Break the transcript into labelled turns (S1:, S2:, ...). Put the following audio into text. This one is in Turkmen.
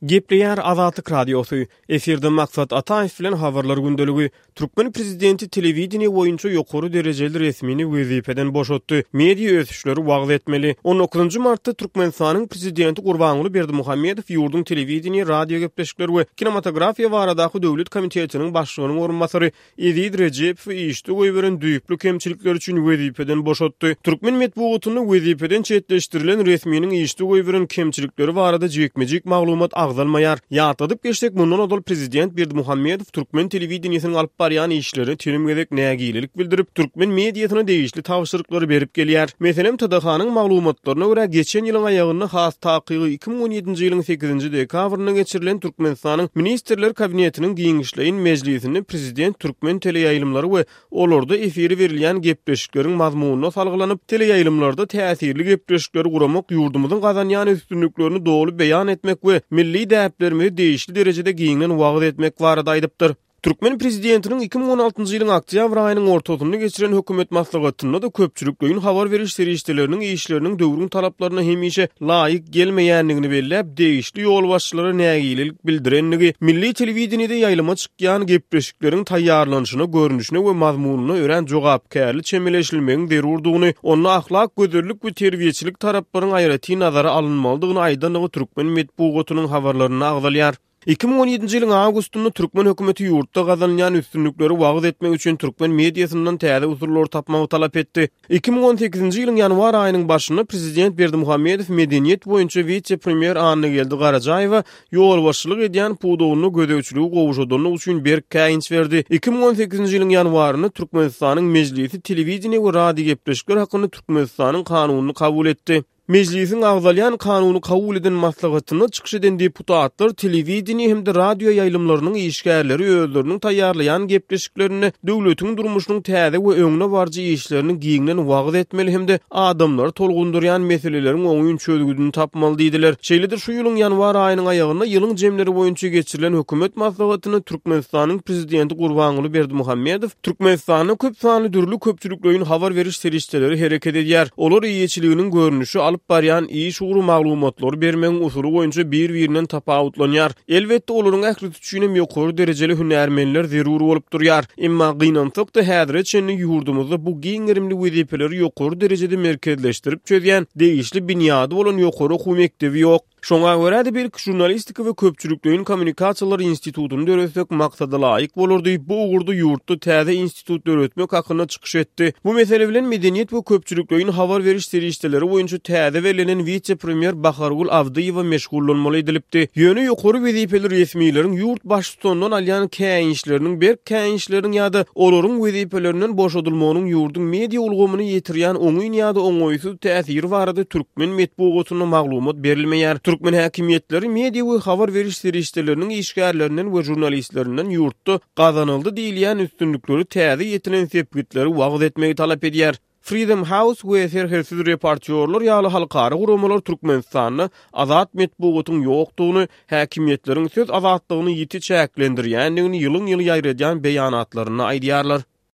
S1: Gepleýär Azatlyk Radiosy, Efirde Maksat Ataýew bilen Habarlar gündeligi. Türkmen prezidenti telewideniýe boýunça ýokary derejeli resmini wezipeden boşatdy. Media ösüşleri wagyz etmeli. On dokuzynjy martda Türkmenistanyň prezidenti Gurbanguly Berdimuhamedow ýurduň telewideniýe, radiogepleşikler we kinematografiýa baradaky döwlet komitetiniň başlygynyň orunbasary Eziz Rejepowy işde goýberen düýpli kemçilikleri üçin wezipeden boşatdy. Türkmen metbugatynda wezipeden çetleşdirilen resminiň işde goýberen kemçilikleri barada jikme-jik maglumat agzalmaýar. Ýatladyp geçsek, mundan ozal prezident Berdimuhamedow türkmen telewideniýesiniň alyp barýan işlerine telim gezek nägilelik bildirip, türkmen mediasyna degişli tabşyryklary berip gelýär. Meselem, TDH-nyň maglumatlaryna görä, geçen ýylyň aýagynda, has takygy 2017-nji ýylyň sekizinji dekabrynda geçirilen Türkmenistanyň Ministrler Kabinetiniň giňişleýin mejlisinde prezident türkmen teleýaýlymlary we olarda efire berilýän gepleşikleriň mazmunyna salgylanyp, teleýaýlymlarda täsirli gepleşikleri guramak ýurdumyzyň gazanýan üstünliklerini doly beýan etmek we milli däplerimizi degişli derejede giňden wagyz etmek barada aýdypdyr. Türkmen prezidentiniň 2016-njy ýylyň oktýabr aýynyň ortasynda geçiren hökümet maslahatynda-da köpçülikleýin habar beriş serişdeleriniň işleriniň döwrüň talaplaryna hemişe laýyk gelmeýändigini belläp, degişli ýolbaşçylara nägilelik bildirendigi, milli telewideniýede ýaýlyma çykýan gepleşikleriň taýýarlanyşyna, görnüşine we mazmunyna örän jogapkärli çemeleşilmegiň zerurdygyny, onda ahlak, gözellik we terbiýeçilik taraplaryň aýratyn nazara alynmalydygyny aýdandygy türkmen metbugatynyň habarlarynda agzalýar. 2017-nji ýylyň awgustynda türkmen hökümeti ýurtda gazanylýan üstünlikleri wagyz etmek üçin türkmen mediasyndan täze usullary tapmagy talap etdi. 2018-nji ýylyň ýanwar aýynyň başynda prezident Berdimuhamedow medeniýet boýunça wise-premýer Annageldi Garajaýewe ýolbaşçylyk edýän pudagynda gözegçiligi gowşadanlygy üçin berk käýinç berdi. 2018-nji ýylyň ýanwarynda Türkmenistanyň Mejlisi Telewideniýe we radiogepleşikler hakynda Türkmenistanyň Kanunyny kabul etdi. Mejlisiň agzalýan kanuny kabul eden maslahatynda çykyş eden deputatlar telewideniýe hem-de radio ýaýlymlarynyň işgärleri özleriniň taýýarlaýan gepleşiklerinde döwletiň durmuşynyň täze we öňde baryjy işlerini giňden wagyz etmeli hem-de adamlary tolgundyrýan meseleleriň oňyn çözgüdini tapmaly diýdiler. Şeýle-de şu ýylyň ýanwar aýynyň aýagynda ýylyň jemleri boýunça geçirilen hökümet maslahatynda Türkmenistanyň Prezidenti Gurbanguly Berdimuhamedow Türkmenistanda köp sanly dürli köpçülikleýin habar beriş serişdeleri hereket edýär. Olar eýeçiliginiň görnüşi, alyp barýan iş ugry, maglumatlary bermegiň usuly boýunça bir-birinden tapawutlanýar. Elbetde, olaryň ählisi üçin hem ýokary derejeli hünärmenler zerur bolup durýar. Emma, gynansak-da, häzire çenli ýurdumyzda bu giň gerimli wezipeleri ýokary derejede merkezleşdirip çözýän degişli binýady bolan ýokary okuw mekdebi ýok. Şoňa görä-de belki Žurnalistika we köpçülikleýin kommunikasiýalar institutyny döretsek maksadalaýyk bolar diýip, bu ugurda ýurtda täze institut döretmek hakynda çykyş etdi. Bu mesele bilen medeniýet we köpçülikleýin habar beriş serişdeleri boýunça täze bellenen wise-premýer Bahargül Abdyýewa meşgullanmaly edilipdi. Ýöne ýokary wezipeli resmileriň ýurt baştutanyndan alýan käýinçleriniň berk käýinçleriniň ýa-da olaryň wezipelerinden boşadylmagynyň ýurduň media ulgamyna ýetirýän oňyn ýa-da oňaýsyz täsiri barada türkmen metbugatynda maglumat berilmeýär. Türkmen häkimiýetleri media we habar beriş serişdeleriniň işgärlerinden we žurnalistlerinden ýurtda gazanyldy diýilýän üstünlikleri täze ýetilen sepgitleri wagyz etmegi talap edýär. Freedom House we Serhetsiz reportýorlar ýaly halkara guramalar Türkmenistanda azat metbugatyň ýokdugyny, häkimiýetleriň söz azatlygyny ýiti çäklendirýändigini ýylyň-ýyly ýaýradýan beýanatlarynda aýdýarlar.